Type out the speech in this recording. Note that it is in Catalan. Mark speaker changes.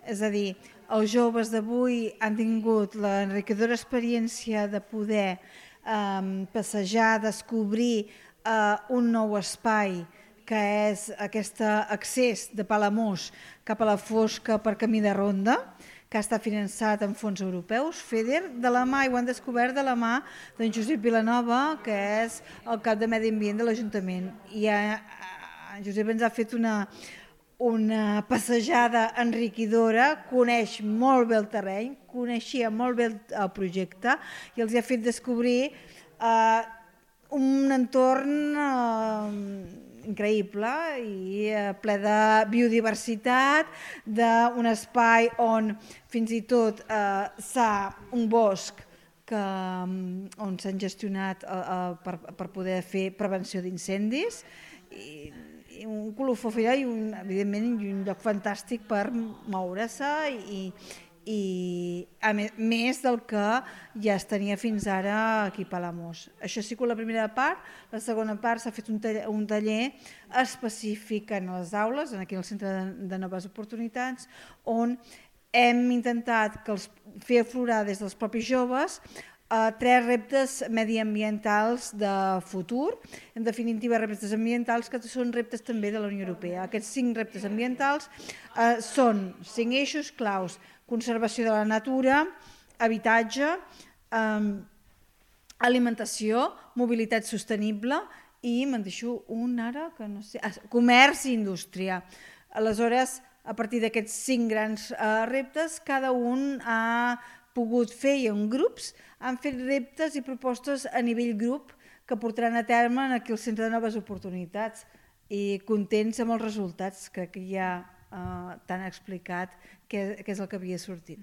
Speaker 1: És a dir, els joves d'avui han tingut l'enriquidora experiència de poder passejar, descobrir un nou espai que és aquest accés de Palamós cap a la Fosca per camí de ronda, que està finançat amb fons europeus, FEDER, de la mà, i ho han descobert de la mà d'en Josep Vilanova, que és el cap de Medi Ambient de l'Ajuntament. I en Josep ens ha fet una passejada enriquidora, coneix molt bé el terreny, coneixia molt bé el projecte i els ha fet descobrir un entorn increïble i ple de biodiversitat, d'un espai on fins i tot s'ha un bosc on s'han gestionat per poder fer prevenció d'incendis, i un colofó fira i evidentment un lloc fantàstic per moure-se i a més del que ja es tenia fins ara aquí a Palamós. Això sí que la primera part. La segona part s'ha fet un taller específic en les aules, aquí al Centre de Noves Oportunitats, on hem intentat fer aflorar des dels propis joves 3 reptes mediambientals de futur, en definitiva reptes ambientals que són reptes també de la Unió Europea. Aquests 5 reptes ambientals són 5 eixos claus: conservació de la natura, habitatge, alimentació, mobilitat sostenible i me'n deixo un ara que no sé, comerç i indústria. Aleshores, a partir d'aquests 5 grans reptes, cada un ha pogut fer, i en grups han fet reptes i propostes a nivell grup que portaran a terme aquí al Centre de Noves Oportunitats, i contents amb els resultats. Crec que ja t'han explicat què és el que havia sortit.